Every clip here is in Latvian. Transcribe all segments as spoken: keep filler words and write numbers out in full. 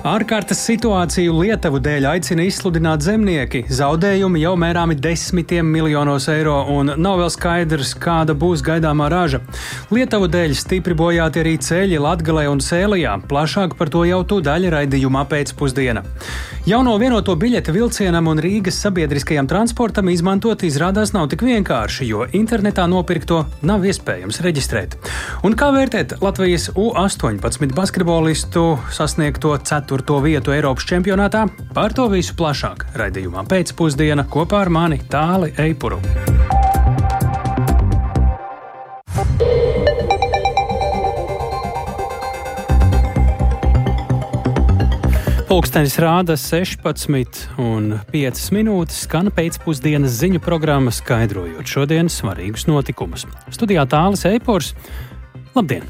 Ārkārtas situāciju Lietuvu dēļ aicina izsludināt zemnieki. Zaudējumi jau mērāmi desmitiem miljonos eiro un nav vēl skaidrs, kāda būs gaidāmā raža. Lietuvu dēļ stipri bojāti arī ceļi Latgalē un Sēlijā. Plašāk par to jau tūdaļ raidījumā pēcpusdiena. Jauno vienoto biļeti vilcienam un Rīgas sabiedriskajam transportam izmantot izrādās nav tik vienkārši, jo internetā nopirkto nav iespējams reģistrēt. Un kā vērtēt Latvijas U astoņpadsmit basketbolistu sasniegto ceturto vietu Eiropas čempionātā? Par to visu plašāk raidījumā pēcpusdiena kopā ar mani Tāli Eipuru. Pulkstenis rāda sešpadsmit un piecas minūtes, skan pēcpusdienas ziņu programma, skaidrojot šodienas svarīgus notikumus. Studijā Tālis Eipurs. Labdien!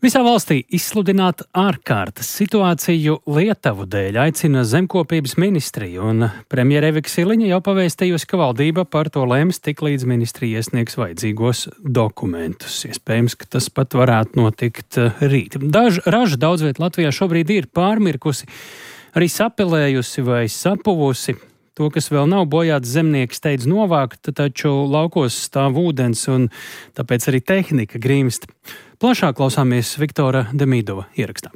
Visā valstī izsludināt ārkārtas situāciju Lietuvu dēļ aicina zemkopības ministrija, un premjere Evika Siliņa jau pavēstījusi, ka valdība par to lems, tiklīdz ministrija iesniegs vajadzīgos dokumentus. Iespējams, ka tas pat varētu notikt rīt. Daž, raža daudz viet Latvijā šobrīd ir pārmirkusi, arī sapelējusi vai sapuvusi. To, kas vēl nav bojāts, zemnieki steidz novākt, taču laukos stāv ūdens un tāpēc arī tehnika grimst. Plašāk klausāmies Viktora Demīdova ierakstā.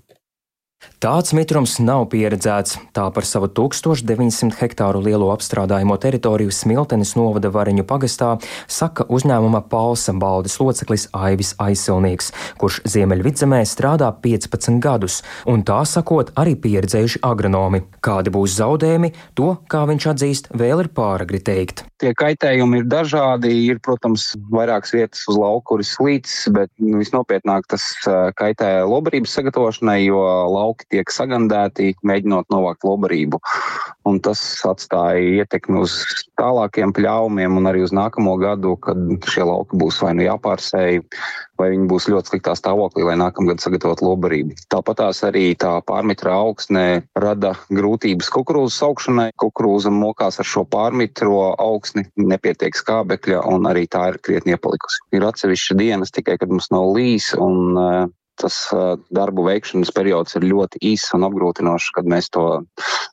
Tāds mitrums nav pieredzēts. Tā par savu tūkstoš deviņsimt hektāru lielo apstrādājumo teritoriju Smiltenes novada Variņu pagastā saka uzņēmuma Palsa baldes loceklis Aivis Aisilnieks, kurš Ziemeļvidzemē strādā piecpadsmit gadus, un tā sakot arī pieredzējuši agronomi. Kādi būs zaudējumi, to, kā viņš atzīst, vēl ir pāragri teikt. Tie kaitējumi ir dažādi, ir, protams, vairākas vietas uz lauku, kur ir slīcis, bet nu, visnopietnāk tas kaitē lobarības sagatavošanai, jo lauki tiek sagandēti, mēģinot novākt lobarību. Un tas atstāja ietekmi uz tālākiem pļāvumiem un arī uz nākamo gadu, kad šie lauki būs vai nu jāpārsēj, vai viņi būs ļoti sliktā stāvoklī, lai nākamgad sagatavot lobarību. Tāpatās arī tā pārmitra augsne rada grūtības kukurūzas augšanai. Kukurūza mokās ar šo pārmitro augsni, nepietiek skābekļa un arī tā ir krietni iepalikusi. Ir atsevišķa dienas tikai, kad mums nav līs un uh, tas uh, darbu veikšanas periods ir ļoti īss un apgrūtinošs, kad mēs to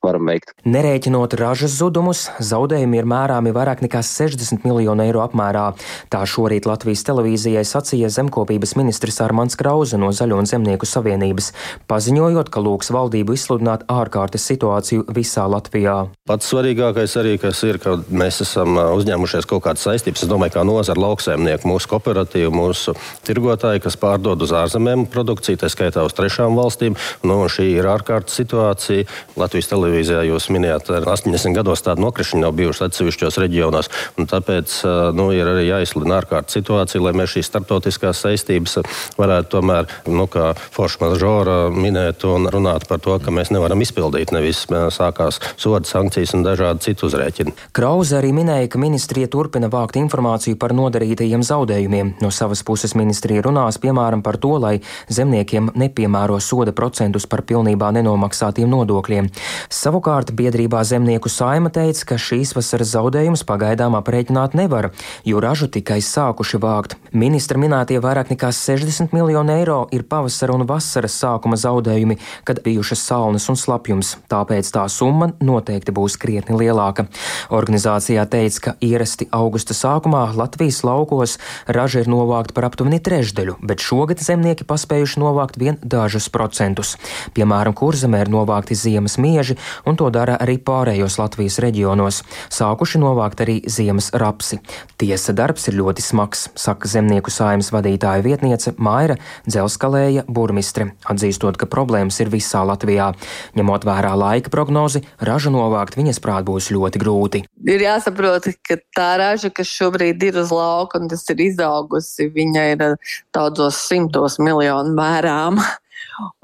varam veikt. Nerēķinot ražas zudumus, zaudējumi ir mērāmi vairāk nekā sešdesmit miljonu eiro apmērā. Tā šorīt Latvijas televīzijai sacīja zemkopības ministrs Armands Krauze no Zaļo un Zemnieku savienības, paziņojot, ka lūgs valdību izsludināt ārkārtas situāciju visā Latvijā. Pats svarīgākais arī, kas ir, ka mēs esam uzņēmušies kaut kādas saistības. Es domāju, kā nozara lauksaimnieku, mūsu kooperatīvu, mūsu tirgotāji, kas pārdod uz ārzemēm produkciju, tā skaitā uz trešām valstīm. Nu, šī ir ārkārtas situācija. Latvijas televīzijā jūs minējāt, astoņdesmit gados tāda nokrišņa nav bijuši atsevišķos reģionos. Un tāpēc nu, ir arī jāizsludina ārkārtas situācija, lai mēs šīs starptautiskās saistības varētu tomēr, nu, kā forša mažora minēt un runāt par to, ka mēs nevaram izpildīt. Nevis sākās soda, sankcijas un dažādi citu uzrēķini. Krauze arī minēja, ka ministrija turpina vākt informāciju par nodarītajiem zaudējumiem. No savas puses ministrija runās, piemēram, par to, lai zemniekiem nepiemēro soda procentus par pilnībā nenomaksātiem nodokļiem. Savukārt biedrībā Zemnieku saima teica, ka šīs vasaras zaudējumus pagaidām aprēķināt nevar, jo ražu tikai sākuši vākt. Ministra minētie vairāk nekā sešdesmit miljoni eiro ir pavasara un vasaras sākuma zaudējumi, kad bijušas salnas un slapjums, tāpēc tā summa noteikti būs krietni lielāka. Organizācijā teica, ka ierasti augusta sākumā Latvijas laukos raža ir novākta par aptuveni trešdaļu, bet šogad zemnieki paspējuši novākt vien dažus procentus. Piemēram, Kurzemē ir novākti ziemas mieži, un to dara arī pārējos Latvijas reģionos. Sākuši novākt arī ziemas rapsi. Tiesa darbs ir ļoti smags, saka Zemnieku saimas vadītāja vietniece Maira Dzelskalēja burmistre, atzīstot, ka problēmas ir visā Latvijā. Ņemot vērā laika prognozi, ražu novākt viņas prāt būs ļoti grūti. Ir jāsaprot, ka tā raža, kas šobrīd ir uz lauka un tas ir izaugusi, viņa ir daudzos simtos miljonu mērām.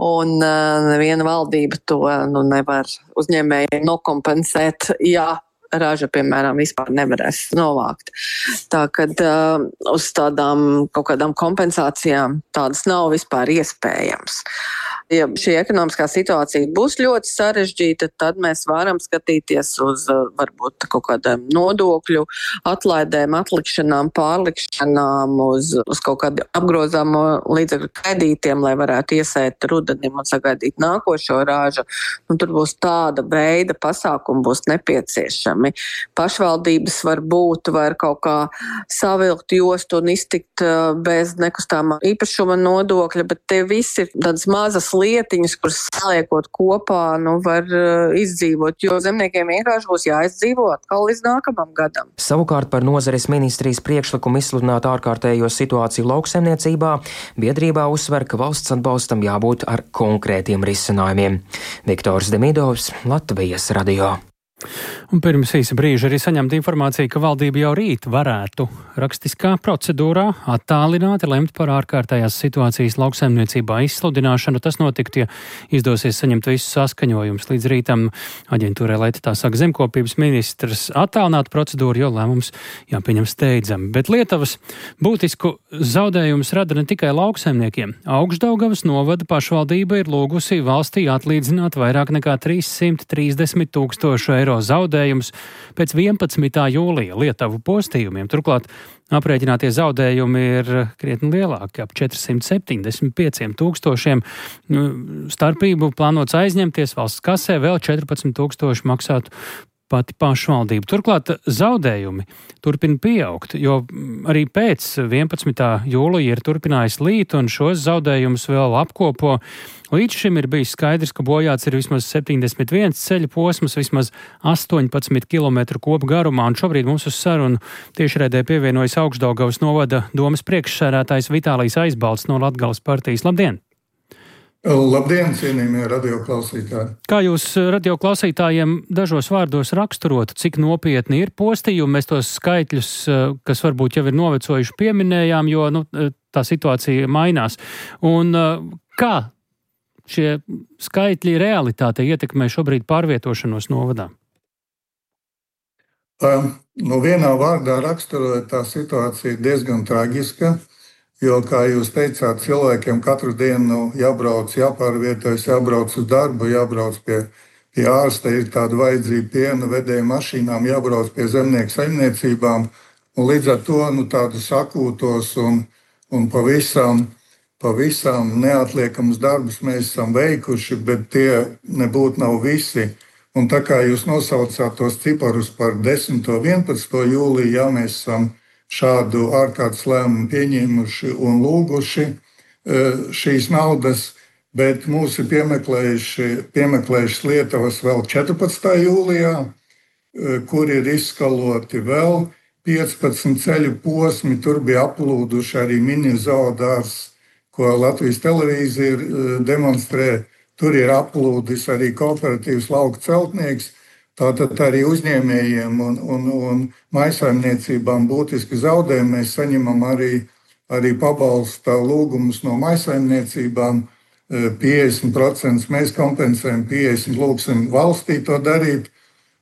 Un uh, neviena valdība to nu, nevar uzņēmēji nokompensēt, ja raža, piemēram, vispār nevarēs novākt. Tā kad uh, uz tādām kaut kādām kompensācijām tādas nav vispār iespējams. Ja šī ekonomiskā situācija būs ļoti sarežģīta, tad mēs varam skatīties uz varbūt kaut kādiem nodokļu atlaidēm, atlikšanām, pārlikšanām, uz, uz kaut kādu apgrozāmo līdzekļu kredītiem, lai varētu iesēt rudenim un sagaidīt nākošo rāžu. Un tur būs tāda veida pasākumi būs nepieciešami. Pašvaldības var būt, var kaut kā savilkt jostu un iztikt bez nekustāmā īpašuma nodokļa, bet tie visi ir tādas mazas lietiņas, kuras saliekot kopā, nu, var uh, izdzīvot, jo zemniekiem vienkārši būs jāizdzīvo atkal līdz nākamam gadam. Savukārt par nozares ministrijas priekšlikumu izsludināt ārkārtējo situāciju lauksaimniecībā, biedrībā uzsver, ka valsts atbalstam jābūt ar konkrētiem risinājumiem. Viktors Demidovs, Latvijas radio. Un pirms īsa brīža arī saņemta informācija, ka valdība jau rīt varētu rakstiskā procedūrā attālināti lemt par ārkārtējās situācijas lauksaimniecībā izsludināšanu. Tas notiktu, ja izdosies saņemt visus saskaņojumus. Līdz rītam aģentūrai, lai tā saka zemkopības ministrs, attālināt procedūru, jo lēmums jāpieņem steidzami. Bet Lietuvas būtisku zaudējumus rada ne tikai lauksaimniekiem. Augšdaugavas novada pašvaldība ir lūgusi valstī atlīdzināt vairāk nekā trīs simti trīsdesmit tūkstošu eiro zaudējumus pēc vienpadsmitā jūlija Lietuvu postījumiem. Turklāt aprēķinātie zaudējumi ir krietni lielāki, ap četri simti septiņdesmit pieci tūkstošiem. Starpību plānots aizņemties valsts kasē, vēl četrpadsmit tūkstoši maksātu pati pašvaldība. Turklāt zaudējumi turpina pieaugt, jo arī pēc vienpadsmitā jūlija ir turpinājis līt un šos zaudējumus vēl apkopo. Līdz šim ir bijis skaidrs, ka bojāts ir vismaz septiņdesmit viens ceļa posms, vismaz astoņpadsmit kilometru kopu garumā, un šobrīd mums uz sarunu tiešraidē pievienojas Augšdaugavas novada domes priekšsēdētājs Vitālijs Aizbalts no Latgales partijas. Labdien! Labdien, cienījamie radioklausītāji! Kā jūs radioklausītājiem dažos vārdos raksturotu, cik nopietni ir postījumi? Mēs tos skaitļus, kas varbūt jau ir novecojuši, pieminējām, jo nu, tā situācija mainās. Un kā šie skaitļi realitāte ietekmē šobrīd pārvietošanos novadā? Um, nu vienā vārdā raksturojot, tā situācija ir diezgan traģiska. Jo, kā jūs teicāt, cilvēkiem katru dienu jābrauc, jāpārvietojas, jābrauc uz darbu, jābrauc pie, pie ārsta, ir tāda vajadzība piena vedēju mašīnām, jābrauc pie zemnieku saimniecībām. Un līdz ar to nu, tādus akūtos un, un pavisam, pavisam neatliekamus darbus mēs esam veikuši, bet tie nebūtu nav visi. Un tā kā jūs nosaucāt tos ciparus par desmito un vienpadsmito jūliju, jā, mēs esam šādu ārkārtas lēmumu pieņēmuši un lūguši šīs naudas, bet mūs ir piemeklējuši, piemeklējušas Lietuvas vēl četrpadsmitā jūlijā, kur ir izskaloti vēl piecpadsmit ceļu posmi. Tur bija aplūduši arī mini zoodārs, ko Latvijas televīzija demonstrē. Tur ir aplūdis arī kooperatīvs lauku celtnieks. Tātad arī uzņēmējiem un, un, un maisaimniecībām būtiski zaudējumi. Mēs saņemam arī, arī pabalsta lūgumus no maisaimniecībām. piecdesmit procenti mēs kompensējam, piecdesmit procenti lūgsim valstī to darīt.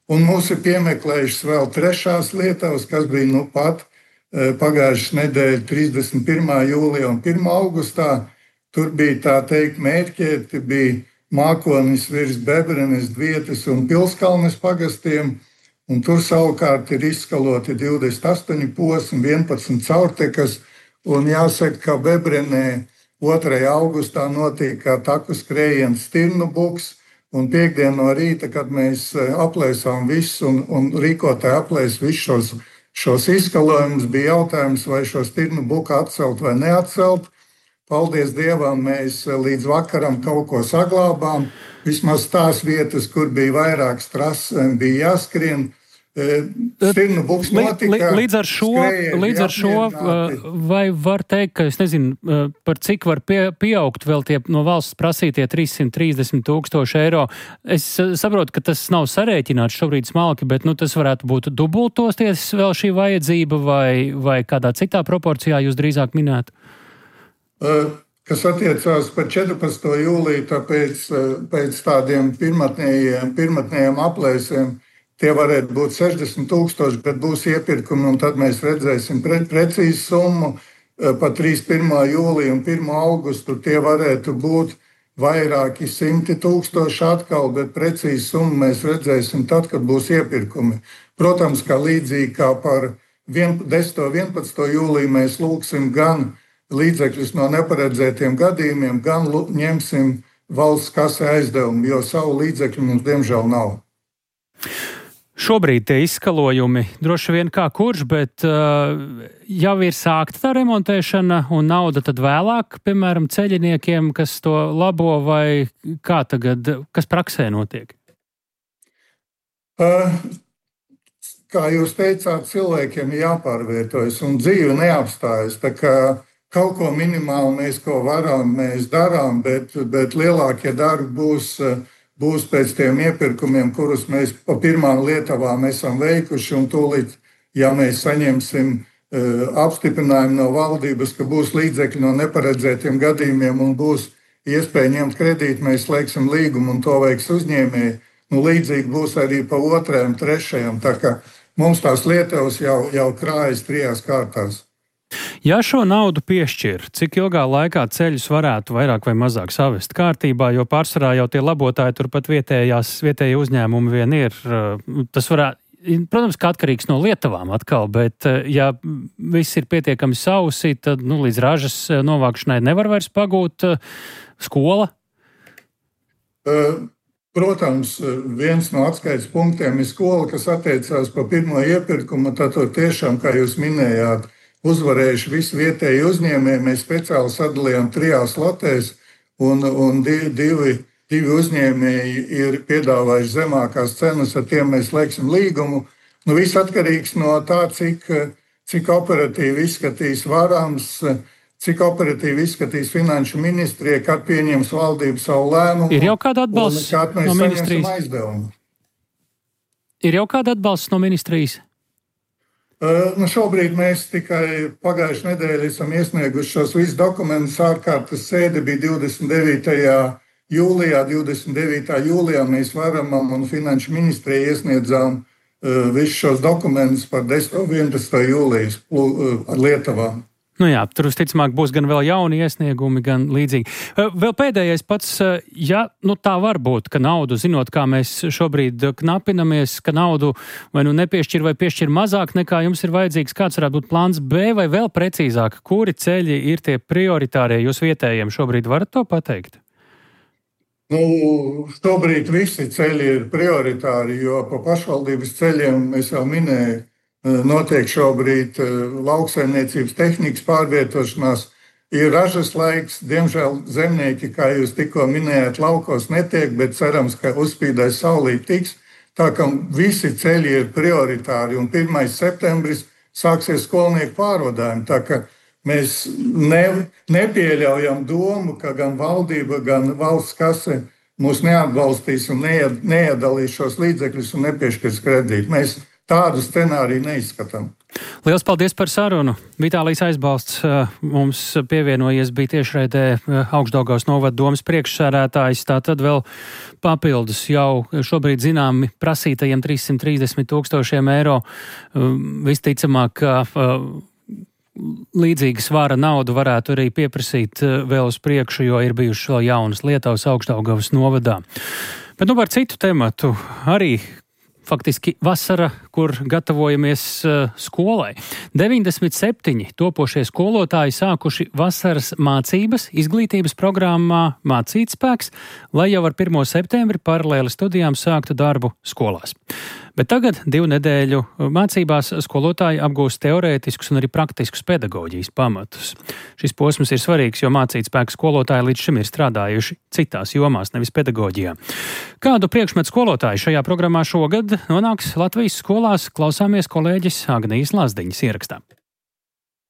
Un mūs ir piemeklējušas vēl trešās Lietuvas, kas bija nu pat pagājušas nedēļa trīsdesmit pirmā jūlijā un pirmā augustā. Tur bija tā teikt mērķēti, bija Mākonis virs Bebrenes, Dvietes un Pilskalnes pagastiem, un tur savukārt ir izskaloti divdesmit astoņi posmi, vienpadsmit caurtekas, un jāsaka, ka Bebrenē otrajā augustā notika taku skrējiens Stirnu buks, un piekdien no rīta, kad mēs aplēsām visus un, un rīkotāji aplēs visus šos, šos izskalojumus, bija jautājums, vai šo Stirnu buku atcelt vai neatcelt. Paldies Dievam, mēs līdz vakaram kaut ko saglābām. Vismaz tās vietas, kur bija vairāk strases, bija jāskrien. Stirnu buks notika. Līdz ar šo, līdz ar šo vai var teikt, ka es nezinu, par cik var pie, pieaugt vēl tie no valsts prasītie trīs simti trīsdesmit tūkstoši eiro. Es saprotu, ka tas nav sarēķināts šobrīd smalki, bet nu, tas varētu būt dubultosties vēl šī vajadzība vai, vai kādā citā proporcijā jūs drīzāk minētu? Kas attiecās par četrpadsmito jūliju, tāpēc pēc tādiem pirmatnējiem, pirmatnējiem aplēsiem tie varētu būt sešdesmit tūkstoši, bet būs iepirkumi, un tad mēs redzēsim pre, precīzu summu. Pa trīsdesmit pirmā jūlija un pirmā augustu tie varētu būt vairāki simti tūkstoši atkal, bet precīzi summu mēs redzēsim tad, kad būs iepirkumi. Protams, kā līdzīgi kā par desmito un vienpadsmito jūliju mēs lūgsim gan līdzekļus no neparedzētiem gadījumiem, gan ņemsim valsts kasē aizdevumu, jo savu līdzekļu mums diemžēl nav. Šobrīd tie izskalojumi droši vien kā kurš, bet uh, jau ir sākta tā remontēšana un nauda tad vēlāk, piemēram, ceļiniekiem, kas to labo, vai kā tagad, kas praksē notiek? Uh, kā jūs teicāt, cilvēkiem jāpārvietojas un dzīve neapstājas. Tā kā kaut ko minimāli mēs, ko varam, mēs darām, bet, bet lielākie darbi būs uh, būs pēc tiem iepirkumiem, kurus mēs pa pirmām lietavām esam veikuši, un tūlīt, ja mēs saņemsim e, apstiprinājumu no valdības, ka būs līdzekļi no neparedzētiem gadījumiem un būs iespēja ņemt kredītu, mēs slēgsim līgumu un to veiks uzņēmēji. Nu, līdzīgi būs arī pa otrajam, trešajam, tā kā mums tās lietavas jau, jau krājas trijās kārtās. Ja šo naudu piešķir, cik ilgā laikā ceļus varētu vairāk vai mazāk savest kārtībā, jo pārsvarā jau tie labotāji turpat vietējās, vietēji uzņēmumi vien ir. Tas varētu, protams, kā atkarīgs no lietavām atkal, bet ja viss ir pietiekami sausi, tad nu, līdz ražas novākšanai nevar vairs pagūt skola? Protams, viens no atskaites punktiem ir skola, kas attiecās pa pirmo iepirkumu, tad tiešām, kā jūs minējāt, uzvarējuši visi vietēji uzņēmēji. Mēs speciāli sadalījām trijās lotēs, un, un divi, divi, divi uzņēmēji ir piedāvājuši zemākās cenas, ar tiem mēs slēgsim līgumu. Nu, viss atkarīgs no tā, cik, cik operatīvi izskatīs varams, cik operatīvi izskatīs finanšu ministrija, kad pieņems valdību savu lēmumu. Ir jau kāda atbalsts no ministrijas? Ir jau kāda atbalsts no ministrijas? Uh, nu šobrīd mēs tikai pagājušajā nedēļā esam iesnieguši šos visus dokumentus. Ārkārtas sēde bija divdesmit devītajā jūlijā. divdesmit devītā jūlijā mēs varamam un finanšu ministrijai iesniedzām uh, visus šos dokumentus par desmito un vienpadsmito jūlijas uh, ar lietavām. Nu jā, tur visticamāk būs gan vēl jauni iesniegumi, gan līdzīgi. Vēl pēdējais pats, ja nu tā var būt, ka naudu, zinot, kā mēs šobrīd knapinamies, ka naudu vai nu nepiešķir vai piešķir mazāk nekā jums ir vajadzīgs, kāds varētu būt plāns B, vai vēl precīzāk, kuri ceļi ir tie prioritārie jūs vietējiem šobrīd, varat to pateikt? Nu, šobrīd visi ceļi ir prioritāri, jo pa pašvaldības ceļiem es jau minēju, notiek šobrīd lauksaimniecības tehnikas pārvietošanās, ir ražas laiks. Diemžēl zemnieki, kā jūs tikko minējāt, laukos netiek, bet cerams, ka uzspīdēs saulīt tiks. Tā kā visi ceļi ir prioritāri, un pirmais septembris sāksies skolnieku pārvadājumi. Tā kā mēs ne, nepieļaujam domu, ka gan valdība, gan valsts kase mūs neatbalstīs un neiedalīs šos līdzekļus un nepiešķirs kredītu. Mēs tādu scenāriju neizskatām. Liels paldies par sarunu. Vitālijs Aizbalsts mums pievienojies, bija tiešraidē Augšdaugavas novada domas priekšsēdētājs. Tātad vēl papildus jau šobrīd zināmi prasītajiem trīssimt trīsdesmit tūkstošiem eiro. Visticamāk, ka līdzīga svara naudu varētu arī pieprasīt vēl uz priekšu, jo ir bijušas vēl jaunas Lietuvas Augšdaugavas novadā. Bet nu par citu tematu arī faktiski vasara, kur gatavojamies uh, skolai. deviņdesmit septiņi topošie skolotāji sākuši vasaras mācības izglītības programmā Mācītspēks, lai jau ar pirmo septembri paralēli studijām sāktu darbu skolās. Bet tagad divu nedēļu mācībās skolotāji apgūst teorētiskus un arī praktiskus pedagoģijas pamatus. Šis posms ir svarīgs, jo Mācītspēka skolotāji līdz šim ir strādājuši citās jomās, nevis pedagoģijā. Kādu priekšmetu skolotāji šajā programmā šogad nonāks Latvijas skolās, klausāmies kolēģis Agnijas Lazdiņas ierakstā.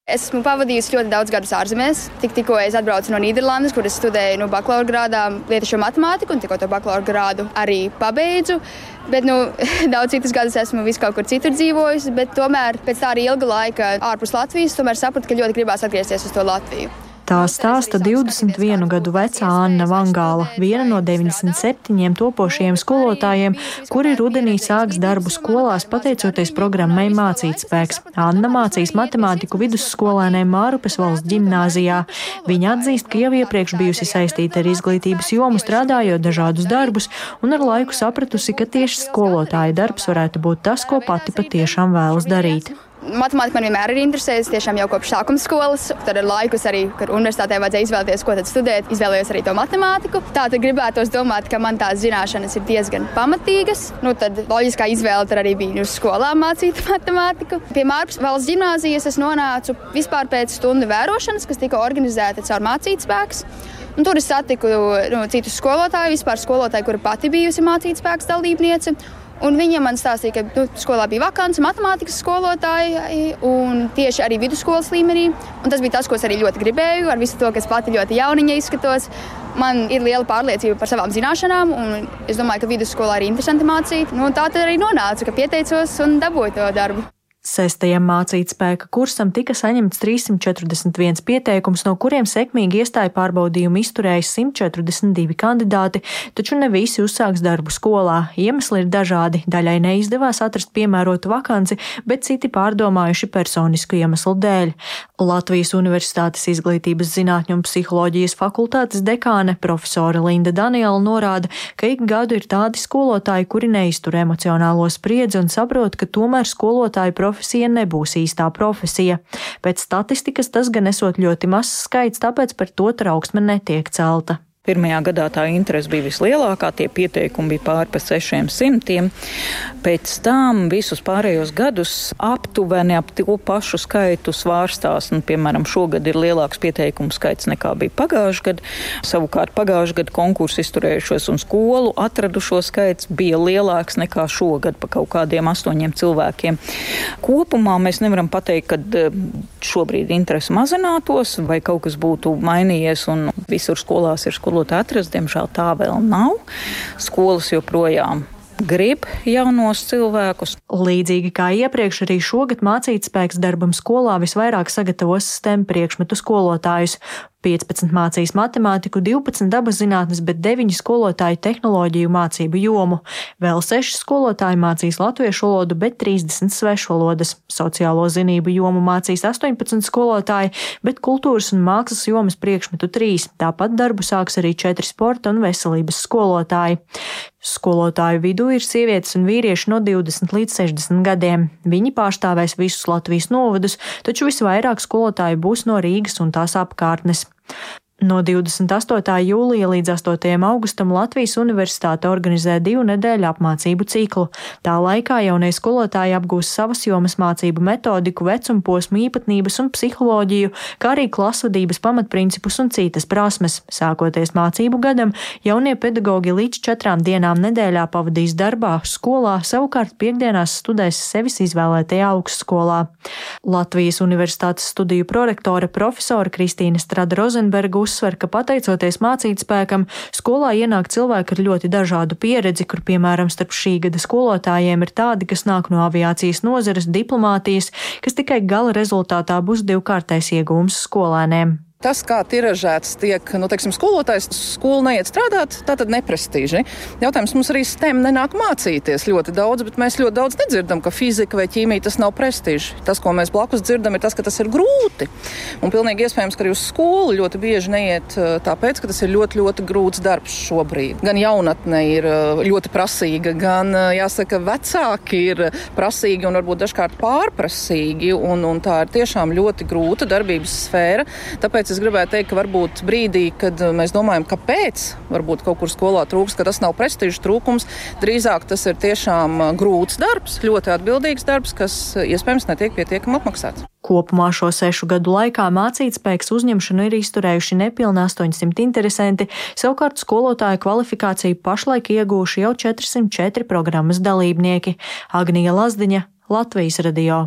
Esmu pavadījusi ļoti daudz gadus ārzemēs. Tik, tikko es atbraucu no Nīderlandes, kur es studēju nu, bakalaura grādā lietišķo matemātiku, un tikko to bakalaura grādu arī pabeidzu. Bet nu, daudz citus gadus esmu vis kaut kur citur dzīvojusi, bet tomēr pēc tā arī ilga laika ārpus Latvijas tomēr sapratu, ka ļoti gribās atgriezties uz to Latviju. Tā stāsta divdesmit vienu gadu vecā Anna Vangāla, viena no deviņdesmit septiņiem topošajiem skolotājiem, kuri rudenī sāks darbu skolās pateicoties programmai Mācītspēks. Anna mācīs matemātiku vidusskolēniem Mārupes valsts ģimnāzijā. Viņa atzīst, ka jau iepriekš bijusi saistīta ar izglītības jomu, strādājot dažādus darbus, un ar laiku sapratusi, ka tieši skolotāja darbs varētu būt tas, ko pati patiešām vēlas darīt. Matemātika man vienmēr ir interesējusi, tiešām jau kopš sākuma skolas. Tad ar laikus arī, kad universitātē vajadzēja izvēlēties, ko tad studēt, izvēlējos arī to matemātiku. Tā tad gribētos domāt, ka man tās zināšanas ir diezgan pamatīgas. Nu, tad loģiskā izvēle tad arī bija uz skolām mācīt matemātiku. Pie Mārupes valsts ģimnāzijas es nonācu vispār pēc stundu vērošanas, kas tika organizēta caur Mācītspēks. Un tur es satiku nu, citus skolotāju, vispār skolotāju, kura pati bijusi Mācītspēks dalībniece. Un viņa man stāstīja, ka nu, skolā bija vakants matemātikas skolotāji un tieši arī vidusskolas līmenī. Un tas bija tas, ko es arī ļoti gribēju, ar visu to, ka es pati ļoti jauniņa izskatos. Man ir liela pārliecība par savām zināšanām, un es domāju, ka vidusskolā ir interesanti mācīt. Nu, tā tad arī nonāca, ka pieteicos un dabūju to darbu. Sestajam Mācītspēka kursam tika saņemts trīssimt četrdesmit viens pieteikums, no kuriem sekmīgi iestāju pārbaudījumu izturēja simt četrdesmit divi kandidāti, taču ne visi uzsāks darbu skolā. Iemesli ir dažādi. Daļai neizdevās atrast piemērotu vakanci, bet citi pārdomājuši personisku iemeslu dēļ. Latvijas Universitātes izglītības zinātņu un psiholoģijas fakultātes dekāne profesore Linda Daniela norāda, ka ik gadu ir tādi skolotāji, kuri neiztur emocionālo spriedzi un saprot, ka tomēr skolotāju profesija profesija nebūs īstā profesija. Pēc statistikas tas gan esot ļoti mazs skaits, tāpēc par to trauksme netiek celta. Pirmajā gadā tā interese bija vislielākā, tie pieteikumi bija pāri pa sešiem simtiem. Pēc tam visus pārējos gadus aptuveni ap to pašu skaitu svārstās. Nu, piemēram, šogad ir lielāks pieteikumu skaits nekā bija pagājuši gadu. Savukārt pagājuši gadu konkursu izturējušos un skolu atradušo skaits bija lielāks nekā šogad pa kaut kādiem astoņiem cilvēkiem. Kopumā mēs nevaram pateikt, ka šobrīd interese mazinātos vai kaut kas būtu mainījies un visur skolās ir skolu. Atrast, diemžēl tā vēl nav. Skolas joprojām grib jaunos cilvēkus. Līdzīgi kā iepriekš, arī šogad Mācītspēks darbam skolā visvairāk sagatavos STEM priekšmetu skolotājus. piecpadsmit mācīs matemātiku, divpadsmit dabas zinātnes, bet deviņi skolotāji tehnoloģiju mācību jomu. Vēl seši skolotāji mācīs latviešu valodu, bet trīsdesmit svešvalodas. Sociālo zinību jomu mācīs astoņpadsmit skolotāji, bet kultūras un mākslas jomas priekšmetu trīs. Tāpat darbu sāks arī četri sporta un veselības skolotāji. Skolotāju vidū ir sievietes un vīrieši no divdesmit līdz sešdesmit gadiem. Viņi pārstāvēs visus Latvijas novadus, taču visvairāk skolotāju būs no Rīgas un tās apkārtnes. No divdesmit astotā jūlija līdz astotajam augustam Latvijas Universitāte organizē divu nedēļu apmācību ciklu. Tā laikā jaunie skolotāji apgūs savas jomas mācību metodiku, vecumposmu īpatnības un psiholoģiju, kā arī klasvadības pamatprincipus un citas prasmes. Sākoties mācību gadam, jaunie pedagogi līdz četrām dienām nedēļā pavadīs darbā, skolā, savukārt piekdienās studēs sevis izvēlētajā augstskolā. Latvijas Universitātes studiju prorektore profesora Kristīne Strada Rozenberga uzsver, ka pateicoties Mācītspēkam, skolā ienāk cilvēki ar ļoti dažādu pieredzi, kur, piemēram, starp šī gada skolotājiem ir tādi, kas nāk no aviācijas nozares, diplomātijas, kas tikai gala rezultātā būs divkārtais iegūms skolēniem. Tas, kā tiražēts tiek, nu, teiksim, skolotājs skolu neiet strādāt, tā tad neprestiži. Jautājums, mums arī STEM nenāk mācīties ļoti daudz, bet mēs ļoti daudz nedzirdam, ka fizika vai ķīmija tas nav prestiži. Tas, ko mēs blakus dzirdam, ir tas, ka tas ir grūti. Un pilnīgi iespējams, ka arī uz skolu ļoti bieži neiet tāpēc, ka tas ir ļoti, ļoti grūts darbs šobrīd. Gan jaunatne ir ļoti prasīga, gan, jāsaka, vecāki ir prasīgi un varbūt dažkārt pārprasīgi, un, un tā ir tiešām ļoti grūta darbības sfēra. Tāpēc es gribētu teikt, ka varbūt brīdī, kad mēs domājam, kāpēc varbūt kaut kur skolā trūks, ka tas nav prestižs trūkums, drīzāk tas ir tiešām grūts darbs, ļoti atbildīgs darbs, kas iespējams netiek pietiekami apmaksāts. Kopumā šo sešu gadu laikā Mācītspēks uzņemšanu ir izturējuši nepilni astoņsimt interesanti, savukārt skolotāju kvalifikāciju pašlaik iegūši jau četrsimt četri programmas dalībnieki. Agnija Lazdiņa, Latvijas radio.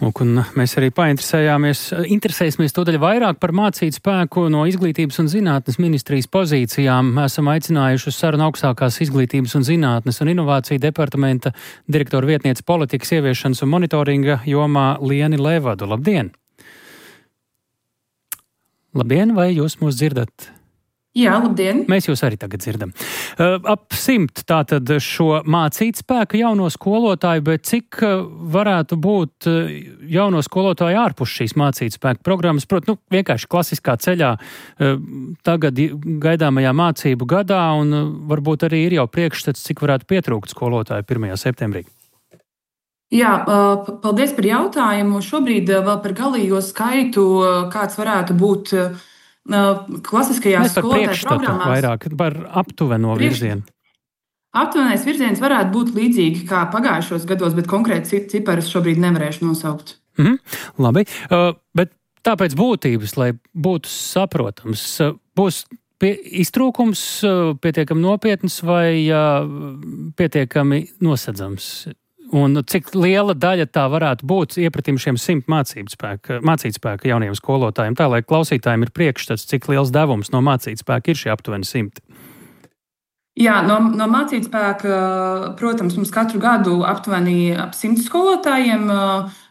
Lūk, un mēs arī painteresējāmies, interesēsimies tūdaļ vairāk par Mācītspēku no Izglītības un zinātnes ministrijas pozīcijām. Esam aicinājuši uz sarunu augstākās Izglītības un zinātnes un inovāciju departamenta direktora vietniece politikas ieviešanas un monitoringa jomā Lieni Levadu. Labdien! Labdien, vai jūs mūs dzirdat? Jā, labdien! Mēs jūs arī tagad dzirdam. Uh, ap simt tātad šo mācītspēku jauno skolotāju, bet cik uh, varētu būt uh, jauno skolotāju ārpus šīs mācītspēku programmas? Protams, nu, vienkārši klasiskā ceļā uh, tagad gaidāmajā mācību gadā, un uh, varbūt arī ir jau priekšstats, cik varētu pietrūkt skolotāju pirmajā septembrī. Jā, uh, paldies par jautājumu. Šobrīd uh, vēl par galīgo skaitu, uh, kāds varētu būt uh, klasiskajās skolotāju programmās. Vairāk par aptuveno Priekš... virzienu. Aptuvenais virziens varētu būt līdzīgi kā pagājušos gados, bet konkrēti ciparus šobrīd nevarēšu nosaukt. Mm-hmm. Labi, uh, bet tāpēc būtības, lai būtu saprotams, uh, būs pie, iztrūkums uh, pietiekami nopietns vai uh, pietiekami nosedzams? Un cik liela daļa tā varētu būt iepratim šiem simt mācītspēka, mācītspēka jauniem skolotājiem, tā lai klausītājiem ir priekšstats, cik liels devums no mācītspēka ir šie aptuveni simti? Jā, no, no mācītspēka, protams, mums katru gadu aptuveni ap simts skolotājiem uh,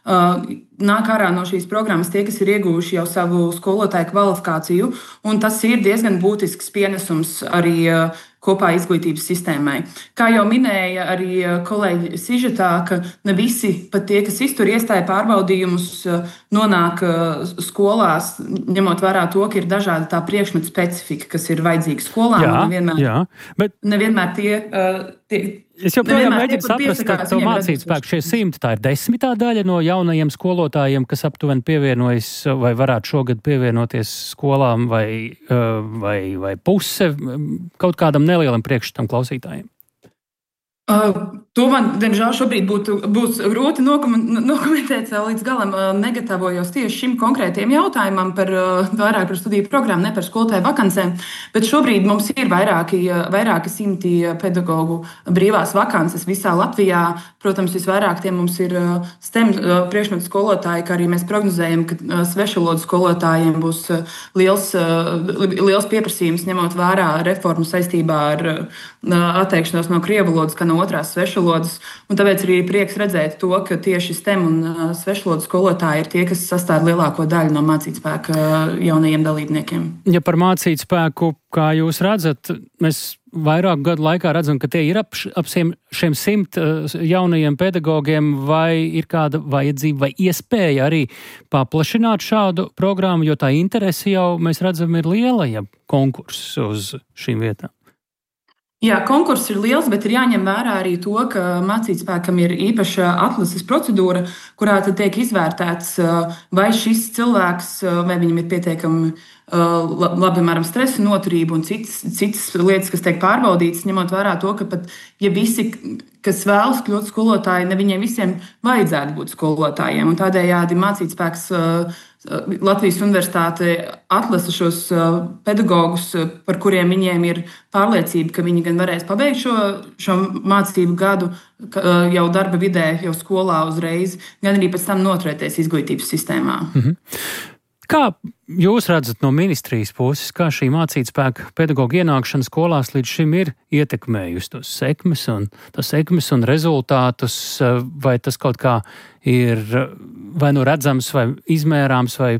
nāk ārā no šīs programmas tie, kas ir ieguvuši jau savu skolotāju kvalifikāciju, un tas ir diezgan būtisks pienesums arī uh, kopā izglītības sistēmai. Kā jau minēja arī kolēģi sižetā, ka ne visi, pat tie, kas iztur iestāju pārbaudījumus, nonāk skolās, ņemot vērā to, ka ir dažāda tā priekšmetu specifika, kas ir vajadzīga skolām. Jā, nevienmēr, jā, bet... nevienmēr tie... tie Es joprojām mēģinu saprast, ka to mācītspēku šie simti, tā ir desmitā daļa no jaunajiem skolotājiem, kas aptuveni pievienojas vai varētu šogad pievienoties skolām, vai, vai, vai puse kaut kādam nelielam priekšstatam klausītājiem. Uh, to man, diemžēl, šobrīd būtu, būs grūti nokomentēt līdz galam. Uh, negatavojos tieši šim konkrētiem jautājumam par uh, vairāk par studiju programmu, ne par skolotāju vakancēm, bet šobrīd mums ir vairāki, vairāki simti pedagogu brīvās vakances visā Latvijā. Protams, visvairāk tie mums ir uh, STEM uh, priekšmetu skolotāji, kā arī mēs prognozējam, ka uh, svešvalodu skolotājiem būs uh, liels, uh, liels pieprasījums, ņemot vērā reformu saistībā ar uh, atteikšanos no krievu valodas, kā no otrās svešvalodas, un tāpēc arī prieks redzēt to, ka tieši STEM un uh, svešvalodu skolotāji ir tie, kas sastāv lielāko daļu no mācītspēka uh, jaunajiem dalībniekiem. Ja par mācītspēku, kā jūs redzat, mēs vairāku gadu laikā redzam, ka tie ir ap, ap šiem, šiem simt uh, jaunajiem pedagogiem, vai ir kāda vajadzība vai iespēja arī paplašināt šādu programmu, jo tā interese jau, mēs redzam, ir liela, ja konkurss uz šīm vietām. Jā, konkurss ir liels, bet ir jāņem vērā arī to, ka mācītspēkam ir īpaša atlases procedūra, kurā tad tiek izvērtēts, vai šis cilvēks, vai viņam ir pietiekami labi, piemēram, stresa noturība un citas, citas lietas, kas tiek pārbaudītas, ņemot vērā to, ka pat, ja visi, kas vēlas kļūt skolotāji, ne viņiem visiem vajadzētu būt skolotājiem, un tādējādi mācītspēks Latvijas Universitāte atlasa šos pedagogus, par kuriem viņiem ir pārliecība, ka viņi gan varēs pabeigt šo, šo mācību gadu jau darba vidē, jau skolā uzreiz, gan arī pēc tam noturēties izglītības sistēmā. Mhm. Kā jūs redzat no ministrijas puses, kā šī mācītspēka pedagoģa ienākšana skolās līdz šim ir ietekmējusi tos sekmes un, tos sekmes un rezultātus, vai tas kaut kā ir vai nu redzams, vai izmērāms, vai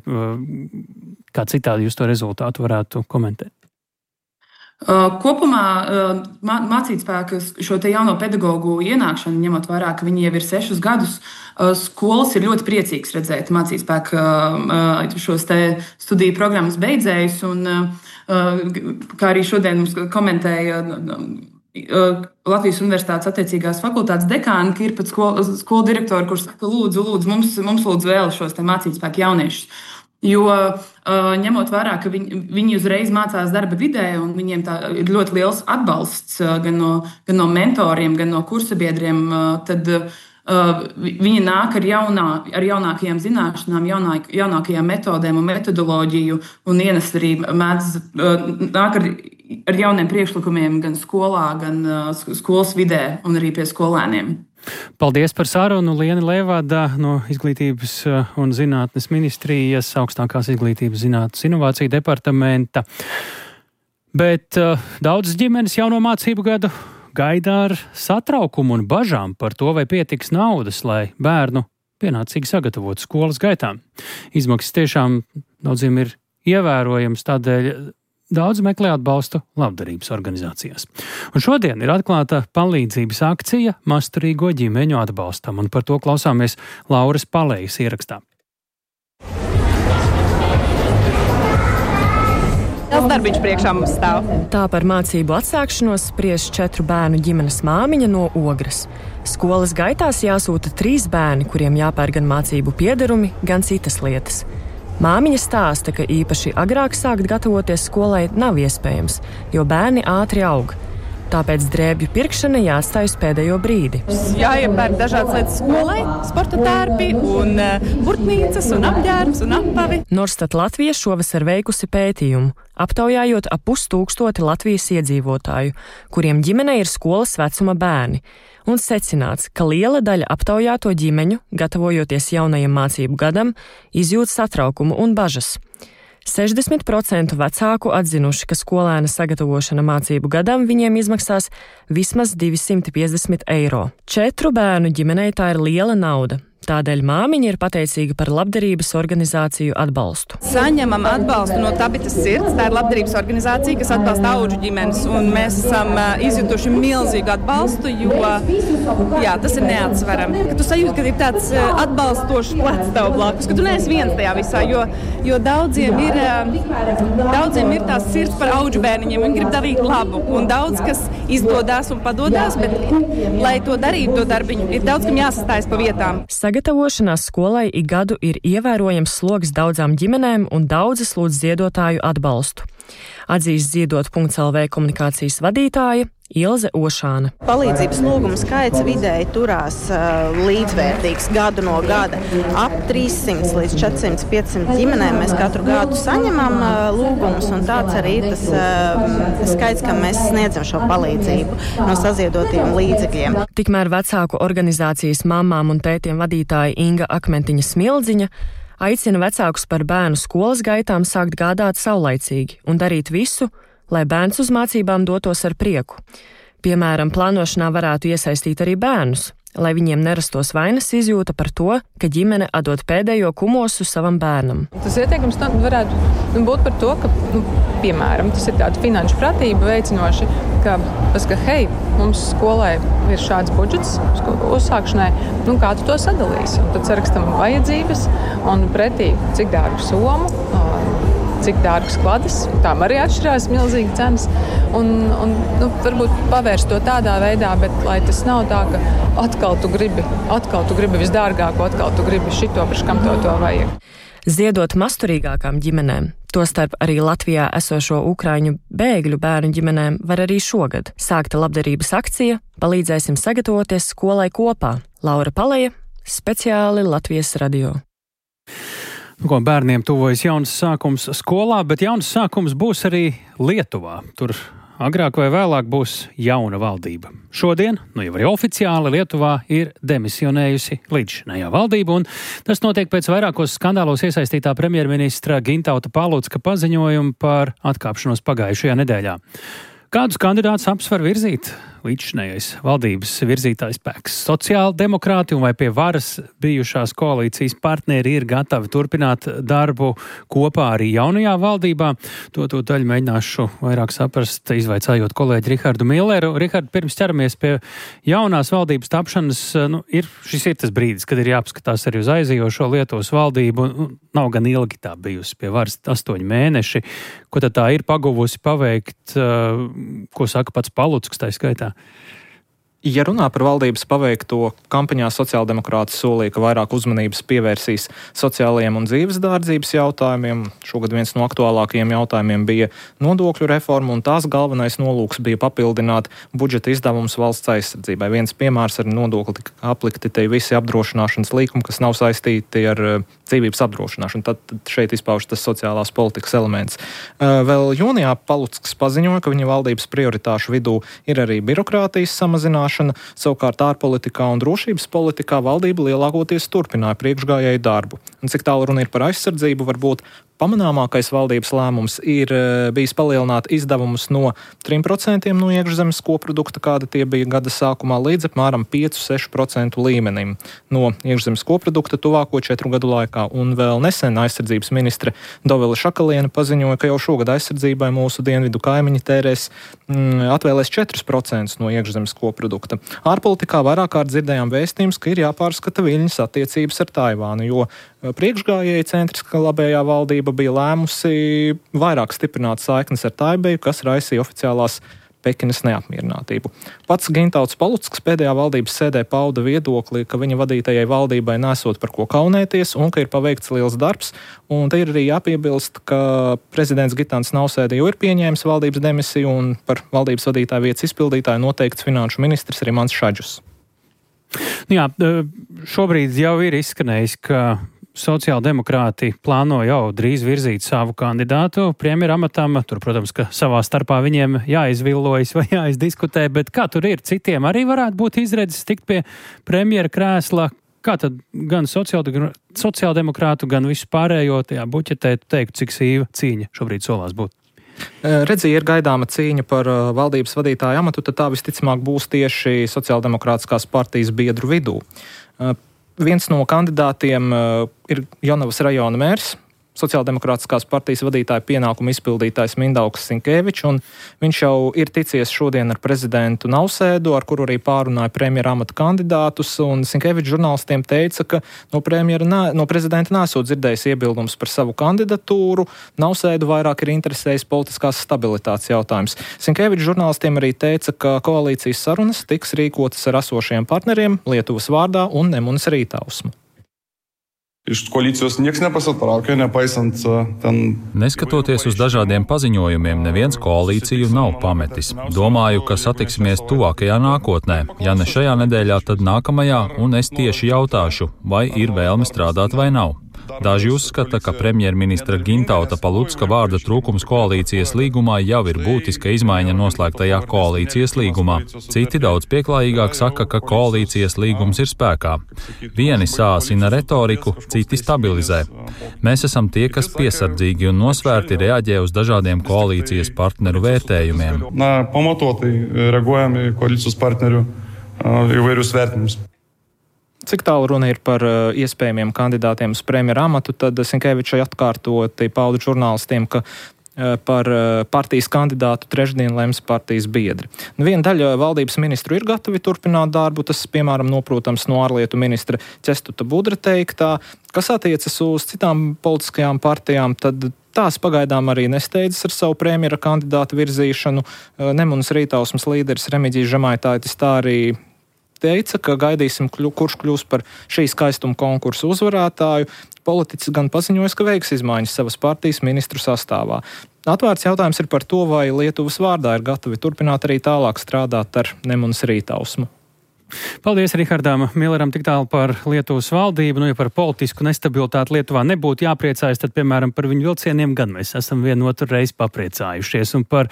kā citādi jūs to rezultātu varētu komentēt? Kopumā mācītspēka šo te jauno pedagoģu ienākšanu, ņemot vērā, ka viņi jau ir sešus gadus, skolas ir ļoti priecīgs redzēt mācītspēka šos te studiju programmas beidzējus, un kā arī šodien mums komentēja Latvijas Universitātes attiecīgās fakultātes dekāni, ka ir pat skolu, skolu direktori, kurš saka, lūdzu, lūdzu, mums, mums lūdzu vēl šos te mācītspēka jauniešus. Jo ņemot vērā, ka viņi, viņi uzreiz mācās darba vidē, un viņiem tā ir ļoti liels atbalsts gan no, gan no mentoriem, gan no kursabiedriem, tad viņi nāk ar, jaunā, ar jaunākajām zināšanām, jaunā, jaunākajām metodēm un metodoloģiju, un ienes arī mēdz nāk ar, ar jauniem priekšlikumiem gan skolā, gan skolas vidē un arī pie skolēniem. Paldies par sarunu, Liena Levada no Izglītības un zinātnes ministrijas, augstākās izglītības zinātnes inovāciju departamenta. Bet uh, daudzas ģimenes jauno mācību gadu gaida ar satraukumu un bažām par to, vai pietiks naudas, lai bērnu pienācīgi sagatavotu skolas gaitām. Izmaksas tiešām daudziem ir ievērojams, tādēļ daudz meklē atbalstu labdarības organizācijās. Un šodien ir atklāta palīdzības akcija masturīgo ģimeņu atbalstam, un par to klausāmies Lauras Palējas ierakstā. Tas darbiņš priekšā mums stāv. Tā par mācību atsākšanos spriež četru bērnu ģimenes māmiņa no Ogres. Skolas gaitās jāsūta trīs bērni, kuriem jāpērk gan mācību piederumi, gan citas lietas. Māmiņa stāsta, ka īpaši agrāk sākt gatavoties skolai nav iespējams, jo bērni ātri aug. Tāpēc drēbju pirkšana jāatstāj uz pēdējo brīdi. Jāiepērk dažādas lietas skolai, sporta tērpi un burtnīcas un apģērbs un apavi. Norstat Latvija šovasar veikusi pētījumu, aptaujājot ap pustūkstoti Latvijas iedzīvotāju, kuriem ģimenei ir skolas vecuma bērni. Un secināts, ka liela daļa aptaujāto ģimeņu, gatavojoties jaunajam mācību gadam, izjūt satraukumu un bažas. sešdesmit procenti vecāku atzinuši, ka skolēna sagatavošana mācību gadam viņiem izmaksās vismaz divsimt piecdesmit eiro. Četru bērnu ģimenei tā ir liela nauda. Tādēļ māmiņa ir pateicīga par labdarības organizāciju atbalstu. Saņemam atbalstu no Tabitas sirds. Tā ir labdarības organizācija, kas atbalsta audžu ģimenes. Un mēs esam izjutuši milzīgu atbalstu, jo jā, tas ir neatsverami. Tu sajūti, ka ir tāds atbalstošs plecs tev blakus, ka tu neesi viens tajā visā, jo, jo daudziem, ir, daudziem ir tās sirds par audžu bērniņiem. Viņi grib darīt labu. Un daudz, kas izdodās un padodās, bet, lai to darītu, to darbiņu, ir daudz, kam jāsastājas pa vietām. Sagatavošanās skolai ik gadu ir ievērojams sloks daudzām ģimenēm un daudzas lūdz ziedotāju atbalstu. Atzīst ziedot punkts el vē komunikācijas vadītāja Ilze Ošāna. Palīdzības lūgumu skaits vidēji turās uh, līdzvērtīgs gadu no gada. Ap trīssimts līdz četrsimt piecsimt ģimenēm mēs katru gadu saņemam uh, lūgumus, un tāds arī ir tas uh, skaits, kam mēs sniedzam šo palīdzību no saziedotiem līdzekļiem. Tikmēr vecāku organizācijas mamām un tētiem vadītāja Inga Akmentiņa Smildziņa aicina vecākus par bērnu skolas gaitām sākt gādāt saulaicīgi un darīt visu, lai bērns uz mācībām dotos ar prieku. Piemēram, plānošanā varētu iesaistīt arī bērnus, lai viņiem nerastos vainas izjūta par to, ka ģimene atdod pēdējo kumosu savam bērnam. Tas ieteikums varētu būt par to, ka, nu, piemēram, tas ir tāda finanšu pratība veicinoši, ka, ka hei, mums skolai ir šāds budžets uzsākšanai, nu kā tu to sadalīsi? Un tad sarakstam vajadzības un pretī cik dārgu somu, cik dārgas kladas, tām arī atšķirās milzīgi cenas, un, un nu, varbūt pavērst to tādā veidā, bet lai tas nav tā, ka atkal tu gribi, atkal tu gribi visdārgāko, atkal tu gribi šito, priekš kam to, to vajag. Ziedot masturīgākām ģimenēm, tostarp arī Latvijā esošo ukraiņu bēgļu bērnu ģimenēm, var arī šogad. Sākta labdarības akcija Palīdzēsim sagatavoties skolai kopā. Laura Palēja, speciāli Latvijas radio. Ko bērniem tuvojas jauns sākums skolā, bet jauns sākums būs arī Lietuvā. Tur agrāk vai vēlāk būs jauna valdība. Šodien, nu jau arī oficiāli, Lietuvā ir demisionējusi līdzšinējā valdība, un tas notiek pēc vairākos skandālos iesaistītā premjerministra Gintauta Palucka paziņojumu par atkāpšanos pagājušajā nedēļā. Kādus kandidātus apsver virzīt līdzšinējais valdības virzītājs spēks? Sociāldemokrāti un vai pie varas bijušās koalīcijas partneri ir gatavi turpināt darbu kopā arī jaunajā valdībā? To to daļu mēģināšu vairāk saprast, izvaicājot kolēģi Rihardu Milleru. Rihard, pirms ķeramies pie jaunās valdības tapšanas, nu, ir, šis ir tas brīdis, kad ir jāapskatās arī uz aizējošo Lietuvas valdību. Nu, nav gan ilgi tā bijusi pie varas astoņi mēneši. Ko tad tā ir paguvusi paveikt, ko saka pats Palucks tā skaitā? Ja runā par valdības paveikto, kampaņā sociāldemokrāti solīja, ka vairāk uzmanības pievērsīs sociālajiem un dzīves dārdzības jautājumiem. Šogad viens no aktuālākajiem jautājumiem bija nodokļu reforma, un tās galvenais nolūks bija papildināt budžeta izdevumus valsts aizsardzībai. Viens piemērs ar nodokli tika aplikti te visi apdrošināšanas līkumi, kas nav saistīti ar dzīvības apdrošināšanu. Tad šeit izpauž tas sociālās politikas elements. Vēl jūnijā Palucks paziņoja, ka viņa valdības prioritāšu vidū ir arī birokrātijas samazināšana. Savukārt ārpolitikā un drošības politikā valdība lielākoties turpināja priekšgājēju darbu. Un cik tālu runa ir par aizsardzību, varbūt pamanāmākais valdības lēmums ir bijis palielināt izdevumus no trim procentiem no iekšzemes koprodukta, kāda tie bija gada sākumā, līdz apmēram pieci līdz seši procenti līmenim no iekšzemes koprodukta tuvāko četru gadu laikā. Un vēl nesen aizsardzības ministre Dovile Šakaliene paziņoja, ka jau šogad aizsardzībai mūsu dienvidu kaimiņi tērēs mm, atvēlēs četrus procentus no iekšzemes koprodukta. Ārpolitikā vairāk kārt dzirdējām vēstījums, ka ir jāpārskata Viļņas attiecības ar Taivānu, jo priekšgājēji centriskā labējā valdība bija lēmusi vairāk stiprināt saiknes ar Taibeju, kas raisīja oficiālās Pekinas neapmierinātību. Pats Gintauts Palucks pēdējā valdības sēdē pauda viedokli, ka viņa vadītajai valdībai nesot par ko kaunēties un ka ir paveikts liels darbs. Un te ir arī jāpiebilst, ka prezidents Gitans Nausēda jau ir pieņēmis valdības demisiju un par valdības vadītāju vietas izpildītāju noteikts finanšu ministrs Rimants Šadžus. Jā, šobrīd jau ir izskanējis, ka sociāldemokrāti plāno jau drīz virzīt savu kandidātu premjera amatam. Tur, protams, ka savā starpā viņiem jāizvillojas vai jāizdiskutē, bet kā tur ir? Citiem arī varētu būt izredzes tikt pie premjera krēsla. Kā tad gan sociāldemokrātu, gan visu pārējo tajā buķetē teikt, cik sīva cīņa šobrīd solās būt? Redzi, ir gaidāma cīņa par valdības vadītāju amatu, tad tā visticamāk būs tieši sociāldemokrātiskās partijas biedru vidū. Viens no kandidātiem ir Jonavas rajona mērs, sociāldemokrātiskās partijas vadītāja pienākumu izpildītājs Mindaugs Sinkevičs, un viņš jau ir ticies šodien ar prezidentu Nausēdu, ar kuru arī pārunāja premjera amata kandidātus, un Sinkevičs žurnālistiem teica, ka no, nā, no prezidenta nesot dzirdējis iebildums par savu kandidatūru, Nausēdu vairāk ir interesējis politiskās stabilitātes jautājums. Sinkevičs žurnālistiem arī teica, ka koalīcijas sarunas tiks rīkotas ar esošajiem partneriem Lietuvas vārdā un Nemunas Rītausmu. Iš koalīcijos nieks nepasitraukė, nepaisant ten... Neskatoties uz dažādiem paziņojumiem, neviens koalīciju nav pametis. Domāju, ka satiksimies tuvākajā nākotnē. Ja ne šajā nedēļā, tad nākamajā, un es tieši jautāšu, vai ir vēlme strādāt vai nav. Daži uzskata, ka premjerministra Gintauta Palucka vārda trūkums koalīcijas līgumā jau ir būtiska izmaiņa noslēgtajā koalīcijas līgumā. Citi daudz pieklājīgāk saka, ka koalīcijas līgums ir spēkā. Vieni sāsina retoriku, citi stabilizē. Mēs esam tie, kas piesardzīgi un nosvērti reaģē uz dažādiem koalīcijas partneru vērtējumiem. Na, pamatotai reaguojam į koalīcijas partnerių įvairius vertinimus. Cik tālu runa ir par uh, iespējamiem kandidātiem uz premjera amatu, tad Sinkevičai atkārtoti pauda žurnālistiem, ka uh, par uh, partijas kandidātu trešdien lems partijas biedri. Nu, viena daļa valdības ministru ir gatavi turpināt darbu, tas, piemēram, noprotams no ārlietu ministra Ķestuta Budra teiktā, kas attiecas uz citām politiskajām partijām, tad tās pagaidām arī nesteidzas ar savu premjera kandidātu virzīšanu. Uh, Nemunas Rītausmas līderis Remigijs Žemaitaitis tā arī teica, ka gaidīsim, kurš kļūs par šī skaistuma konkursu uzvarētāju. Politiķis gan paziņojas, ka veiks izmaiņas savas partijas ministru sastāvā. Atvērts jautājums ir par to, vai Lietuvas vārdā ir gatavi turpināt arī tālāk strādāt ar Nemunas Rītausmu. Paldies Rihardam Milleram tik tālu par Lietuvas valdību. Nu, ja par politisku nestabilitāti Lietuvā nebūtu jāpriecājas, tad, piemēram, par viņu vilcieniem gan mēs esam vienotru reizi papriecājušies. Un par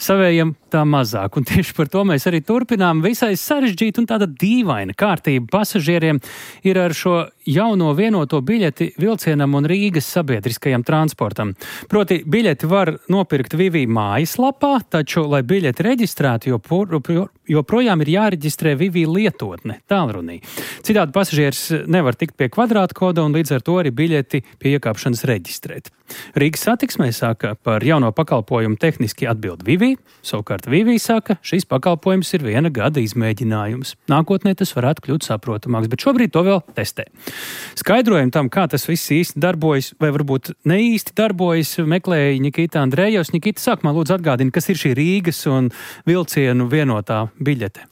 savējiem tā mazāk. Un tieši par to mēs arī turpinām. Visai sarežģīta un tāda dīvaina kārtība pasažieriem ir ar šo jauno vienoto biļeti vilcienam un Rīgas sabiedriskajam transportam. Proti, biļeti var nopirkt Vivī mājaslapā, taču, lai biļeti reģistrētu, joprojām ir jāreģistrē Vivī lietotne, tālrunī. Citādi pasažieris nevar tikt pie kvadrāta koda un līdz ar to arī biļeti pie iekāpšanas reģistrēt. Rīgas satiksmē saka, par jauno pakalpojumu tehniski atbild Vivī, savukārt Vivī saka, šīs pakalpojums ir viena gada izmēģinājums. Nākotnē tas varētu kļūt saprotamāks, bet šobrīd to vēl testē. Skaidrojumu tam, kā tas viss īsti darbojas, vai varbūt ne īsti darbojas, meklēja Nikita Andrejevs. Nikita, sākumā lūdzu atgādini, kas ir šī Rīgas un vilcienu vienotā biļete.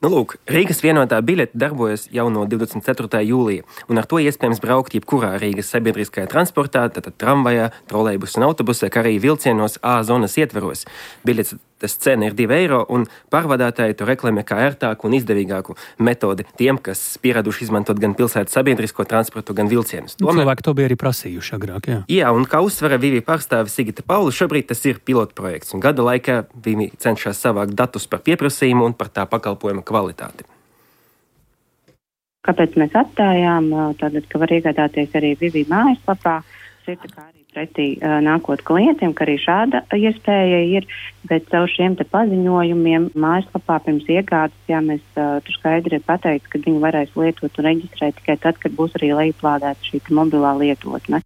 Nu, lūk, Rīgas vienotā biļete darbojas jau no divdesmit ceturtā jūlija, un ar to iespējams braukt jebkurā Rīgas sabiedriskajā transportā, tātad tramvajā, trolejbusā un autobusā, kā arī vilcienos A zonas ietveros. Biļetes cena ir divi eiro, un pārvadātāji to reklamē kā ērtāku un izdevīgāku metodi tiem, kas pieraduši izmantot gan pilsētas sabiedrisko transportu, gan vilcienus. Tomēr... Cilvēki to bija arī prasījuši agrāk, jā. Jā, un kā uzsvera Vivī pārstāve Sigita Paula, šobrīd tas ir pilotprojekts, un gada laikā Vivī cenšas savākt datus par pieprasījumu un par tā pakalpojuma kvalitāti. Kāpēc mēs atstājām, tātad, ka var iegādāties arī Vivī mājaslapā. pretī uh, nākot klientiem, ka arī šāda iespēja ir, bet caur šiem te paziņojumiem mājaslapā pirms iegādes, jā, mēs uh, tur skaidri ir pateikts, ka viņi varēs lietot un reģistrēt tikai tad, kad būs arī lejuplādēta šī mobilā lietotne.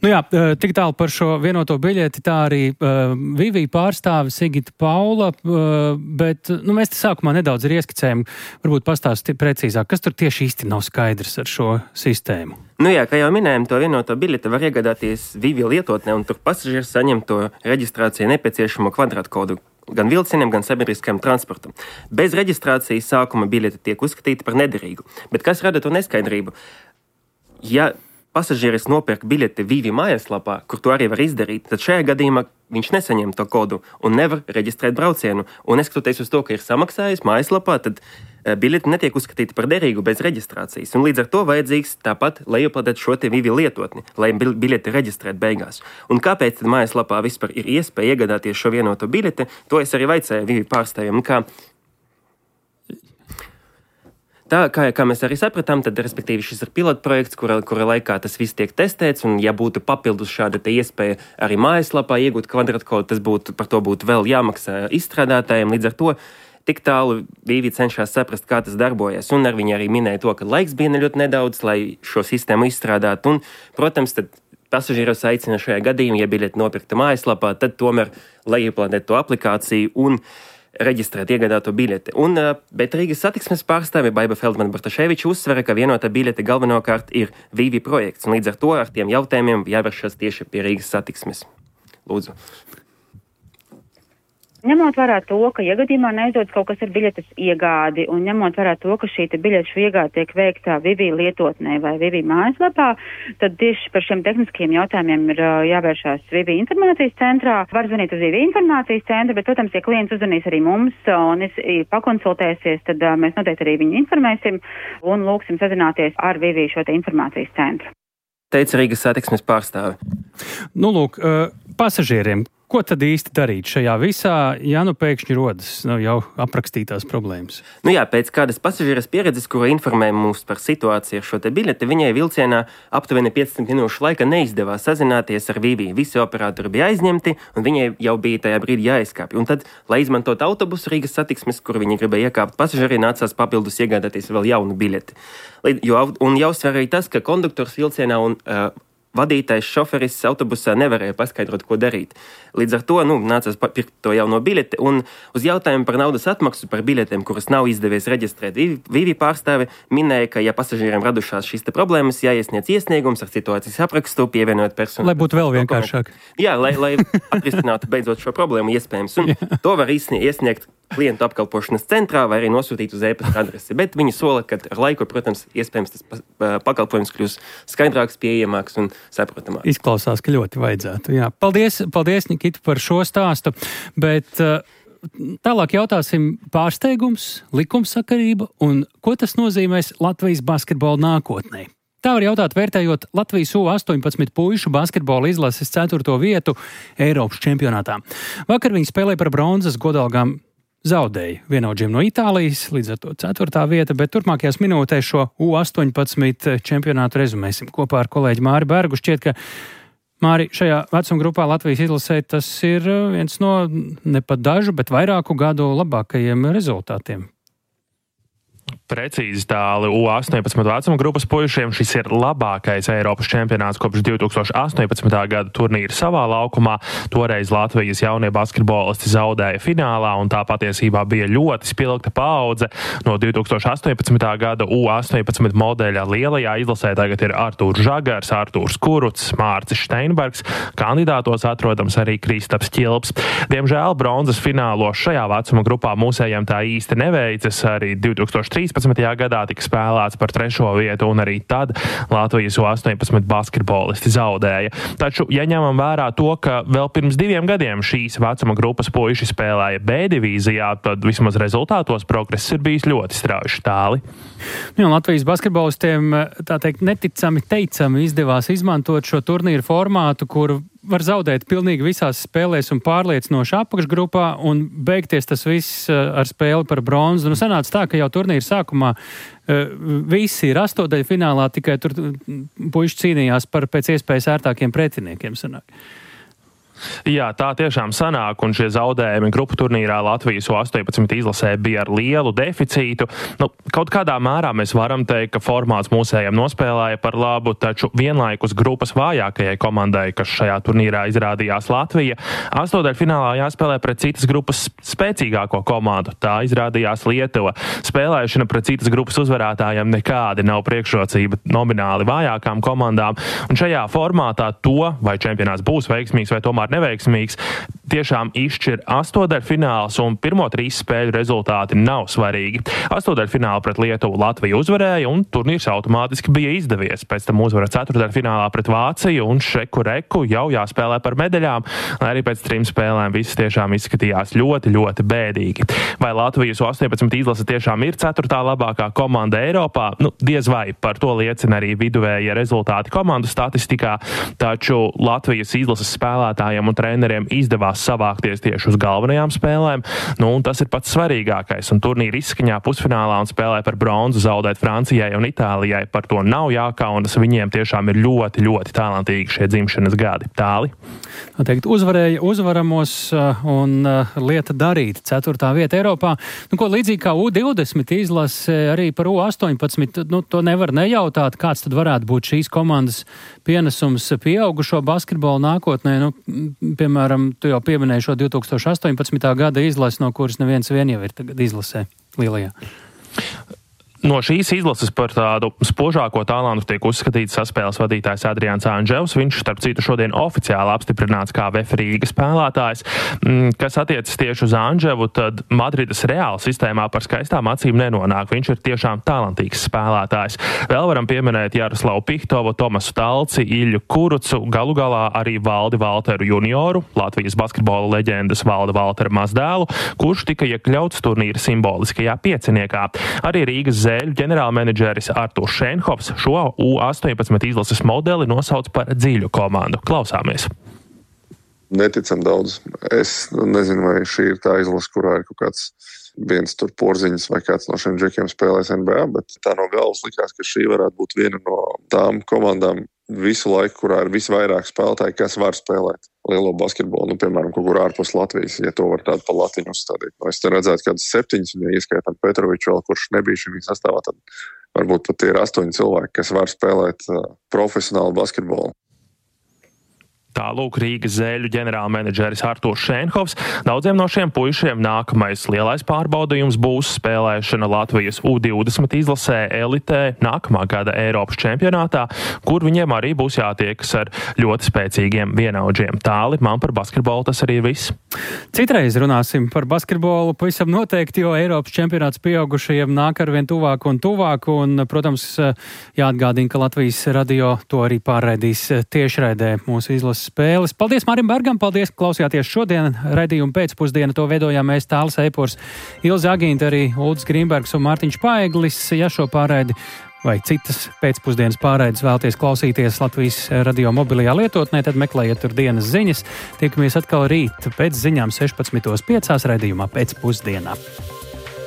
Nu jā, tik tālu par šo vienoto biļeti, tā arī uh, Vivī pārstāve Sigita Paula, uh, bet nu, mēs te sākumā nedaudz ir ieskicējumi, varbūt pastāsti precīzāk, kas tur tieši īsti nav skaidrs ar šo sistēmu. Nu jā, kā jau minējām, to vienoto biļeti var iegādāties Vivī lietotnē, un tur pasažieris saņem to reģistrācijai nepieciešamo kvadrātkodu gan vilcieniem, gan sabiedriskajam transportam. Bez reģistrācijas sākuma biļete tiek uzskatīta par nederīgu. Bet kas rada to neskaidrību? Ja pasažieris nopērk biļeti Vivī mājaslapā, kur to arī var izdarīt, tad šajā gadījumā viņš nesaņem to kodu un nevar reģistrēt braucienu. Un neskatoties uz to, ka ir samaksājis mājaslapā, tad biļeti netiek uzskatīta par derīgu bez reģistrācijas. Un līdz ar to vajadzīgs tāpat lejuplādēt šo te Vivī lietotni, lai biļeti reģistrēt beigās. Un kāpēc tad mājaslapā vispār ir iespēja iegādāties šo vienoto biļeti, to es arī vaicēju Vivī pārstāvjiem. Kā Tā, kā, kā mēs arī sapratām, tad, respektīvi, šis ir pilotprojekts, kura, kura laikā tas viss tiek testēts, un ja būtu papildus šāda te iespēja arī mājaslapā iegūt kvadrātkodu, tas būtu, par to būtu vēl jāmaksā izstrādātājiem. Līdz ar to tik tālu Vivī cenšas saprast, kā tas darbojas, un ar viņi arī minēja to, ka laiks bija ļoti nedaudz, lai šo sistēmu izstrādātu, un, protams, tad pasažieros aicina šajā gadījumā, ja biļeti nopirkta mājaslapā, tad tomēr lejuplādēt to aplikāciju un reģistrēt iegādāto biļeti. Un, bet Rīgas satiksmes pārstāve Baiba Feldmane-Bartaševiča uzsvera, ka vienotā biļete galvenokārt ir Vivī projekts, un līdz ar to ar tiem jautājumiem jāvēršas tieši pie Rīgas satiksmes. Lūdzu. Ņemot vērā to, ka iegadījumā neizdodas kaut kas ar biļetes iegādi, un ņemot vērā to, ka šī biļešu iegāde tiek veikta Vivī lietotnē vai Vivī mājaslapā, tad tieši par šiem tehniskiem jautājumiem ir jāvēršās Vivī informācijas centrā. Var zvanīt uz Vivī informācijas centru, bet, protams, ja klients uzzvanīs arī mums un pakonsultēsies, tad mēs noteikti arī viņu informēsim un lūksim sazināties ar Vivī šo te informācijas centru. Teica Rīgas satiksmes pārstāve. Nu, lūk, pasažieriem. Ko tad īsti darīt šajā visā, ja nu pēkšņi rodas nu, jau aprakstītās problēmas? Nu jā, pēc kādas pasažieras pieredzes, kura informēja mūs par situāciju ar šo te biļeti, viņai vilcienā aptuveni piecdesmit minūšu laika neizdevās sazināties ar Vivī. Visi operatori bija aizņemti, un viņai jau bija tajā brīdī jāizkāpj. Un tad, lai izmantot autobusu Rīgas satiksmes, kur viņi gribēja iekāpt pasažieri, nācās papildus iegādāties vēl jaunu biļeti. Jo, un jāuzsver arī tas, ka konduktors vilcienā un uh, vadītājs šoferis autobusā nevarēja paskaidrot, ko darīt. Līdz ar to nu, nācās pirkt to jauno biļeti, un uz jautājumu par naudas atmaksu par biļetēm, kuras nav izdevies reģistrēt, Vivī pārstāve minēja, ka, ja pasažieriem radušās šīs te problēmas, jāiesniedz iesniegums ar situācijas aprakstu, pievienojot personu. Lai būtu vēl vienkāršāk. Jā, lai, lai atrisinātu beidzot šo problēmu iespējams. Un to var iesniegt klientu apkalpošanas centrā vai arī nosūtīt uz e-pasta adresi. Bet viņi sola, ka ar laiku, protams, iespējams tas pakalpojums kļūs skaidrāks, pieejamāks un saprotamāks. Izklausās, ka ļoti vajadzētu. Jā. Paldies, paldies, Nikita, par šo stāstu. Bet uh, tālāk jautāsim pārsteigums, likumsakarība un ko tas nozīmēs Latvijas basketbola nākotnē. Tā var jautāt, vērtējot Latvijas U astoņpadsmit puišu basketbola izlases ceturto vietu Eiropas čempionātā. Vakar viņi spēlēja par bronzas godalgām. Zaudēja vienaudžiem no Itālijas, līdz ar to ceturtā vieta, bet turpmākajās minūtēs šo U astoņpadsmit čempionātu rezumēsim kopā ar kolēģi Māri Bergu. Šķiet, ka Māri, šajā vecuma grupā Latvijas izlasē tas ir viens no ne pat dažu, bet vairāku gadu labākajiem rezultātiem. Precīzi tāli U astoņpadsmit vecuma grupas puišiem šis ir labākais Eiropas čempionāts kopš divi tūkstoši astoņpadsmitā gada turnīra savā laukumā. Toreiz Latvijas jaunie basketbolisti zaudēja finālā, un tā patiesībā bija ļoti spilgta paudze. No divi tūkstoši astoņpadsmitā gada U astoņpadsmit modeļa lielajā izlasē tagad ir Artūrs Žagars, Artūrs Kurucs, Mārcis Steinbergs. Kandidātos atrodams arī Kristaps Ķilps. Diemžēl bronzas finālos šajā vecuma grupā mūsējiem tā īsti neveicas. Arī divi tūkstoši trīspadsmitajā gadā tika spēlēts par trešo vietu, un arī tad Latvijas U astoņpadsmit basketbolisti zaudēja. Taču, ja ņemam vērā to, ka vēl pirms diviem gadiem šīs vecuma grupas puiši spēlēja B divīzijā, tad vismaz rezultātos progress ir bijis ļoti strauji tāli. Jā, Latvijas basketbolistiem, tā teikt, neticami teicami izdevās izmantot šo turnīru formātu, kuru var zaudēt pilnīgi visās spēlēs un pārliecinoši apakšgrupā un beigties tas viss ar spēli par bronzu. Nu, sanāca tā, ka jau turnīra sākumā visi ir astotdaļfinālā, tikai tur puiši cīnījās par pēc iespējas ērtākiem pretiniekiem. Sanāk. Jā, tā tiešām sanāk, un šie zaudējumi grupu turnīrā Latvijas U astoņpadsmit izlasē bija ar lielu deficītu. Nu, kaut kādā mērā mēs varam teikt, ka formāts mūsējiem nospēlēja par labu, taču vienlaikus grupas vājākajai komandai, kas šajā turnīrā izrādījās Latvija, astotdaļfinālā jāspēlē pret citas grupas spēcīgāko komandu. Tā izrādījās Lietuva. Spēlēšana pret citas grupas uzvarētājiem nekādi nav priekšrocība nomināli vājākām komandām, un šajā formātā to, vai čempionāts būs veiksmīgs vai tomēr neveiksmīgs, tiešām izšķir astotdaļfināls, un pirmo trīs spēļu rezultāti nav svarīgi. Astotdaļfinālā pret Lietuvu Latvija uzvarēja, un turnīrs automātiski bija izdevies. Pēc tam uzvara ceturtdaļfinālā pret Vāciju, un šeku reku jau jāspēlē par medaļām, lai arī pēc trim spēlēm viss tiešām izskatījās ļoti, ļoti bēdīgi. Vai Latvijas U astoņpadsmit izlase tiešām ir ceturtā labākā komanda Eiropā? Nu, diez vai, par to liecina arī viduvējie rezultāti komandu statistikā, taču Latvijas izlases spēlētājiem un treneriem izdevās savākties tieši uz galvenajām spēlēm, nu, un tas ir pats svarīgākais, un turnīra izskaņā pusfinālā un spēlē par bronzu zaudēt Francijai un Itālijai, par to nav jākaunas, viņiem tiešām ir ļoti, ļoti talantīgi šie dzimšanas gadi. Tāli? Teikt, uzvarēja uzvaramos un lieta darīt. Ceturtā vieta Eiropā. Nu, ko līdzīgi kā U divdesmit izlase arī par U astoņpadsmit, nu, to nevar nejautāt, kāds tad varētu būt šīs komandas pienesums pieaugušo basketbolu nākotnē. Nu, piemēram, tu jau pieminēji šo divi tūkstoši astoņpadsmitā gada izlasi, no kuras neviens vien jau ir tagad izlasē lielajā. No šīs izlases par tādu spožāko talantu tiek uzskatīts saspēles vadītājs Adrians Anževs. Viņš, starp citu, šodien oficiāli apstiprināts kā V F Rīga spēlētājs. Kas attiecas tieši uz Anževu, tad Madrides Reāla sistēmā par skaistām acīm nenonāk. Viņš ir tiešām talantīgs spēlētājs. Vēl varam pieminēt Jaroslavu Pihtovu, Tomasu Talci, Iļu Kurucu, galu galā arī Valdi Valteru junioru, Latvijas basketbola leģendas Valda Valtera mazdēlu, kurš tika iekļauts turnīra simboliskajā pieciniekā. Arī Rīgas Zēļu ģenerālmenedžeris Artūrs Šenhofs šo U astoņpadsmit izlases modeli nosauc par dziļu komandu. Klausāmies. Neticam daudz. Es nezinu, vai šī ir tā izlase, kurā ir kaut kāds viens tur porziņas vai kāds no šiem džekiem spēlēs N B A, bet tā no galvas likās, ka šī varētu būt viena no tām komandām visu laiku, kurā ir visvairāk spēlētāji, kas var spēlēt lielo basketbolu, nu, piemēram, kaut kur ārpus Latvijas, ja to var tādu pa latiņu uzstādīt. No, es te redzētu kādus septiņus, un ja ieskaitam Petroviču vēl, kurš nebija šī sastāvā, tad varbūt pat ir astoņi cilvēki, kas var spēlēt uh, profesionālu basketbolu. Tālūk Rīgas Zēļu ģenerālmenedžeris Artūrs Šenhofs. Daudziem no šiem puišiem nākamais lielais pārbaudījums būs spēlēšana Latvijas U divdesmit izlasē elitē nākamā gada Eiropas čempionātā, kur viņiem arī būs jātiekas ar ļoti spēcīgiem vienaudžiem. Tāli, man par basketbolu tas arī ir viss. Citreiz runāsim par basketbolu, pavisam noteikti, jo Eiropas čempionāts pieaugušajiem nāk arvien tuvāk un tuvāk, un, protams, jāatgādina, ka Latvijas radio to arī pārraidīs tiešraidē mūsu izlases spēles. Paldies Mārim Bergam, paldies, ka klausījāties šodien. Raidījumu pēcpusdienu to veidojām mēs Tālis Eipors, Ilze Agīnta, arī Uldis Grīmbergs un Mārtiņš Paeglis. Ja šo pārraidi vai citas pēcpusdienas pārraides vēlties klausīties Latvijas radio mobilajā lietotnē, tad meklējiet tur dienas ziņas. Tiekamies atkal rīt pēc ziņām sešpadsmitos piecās raidījumā pēcpusdienā.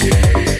Yeah.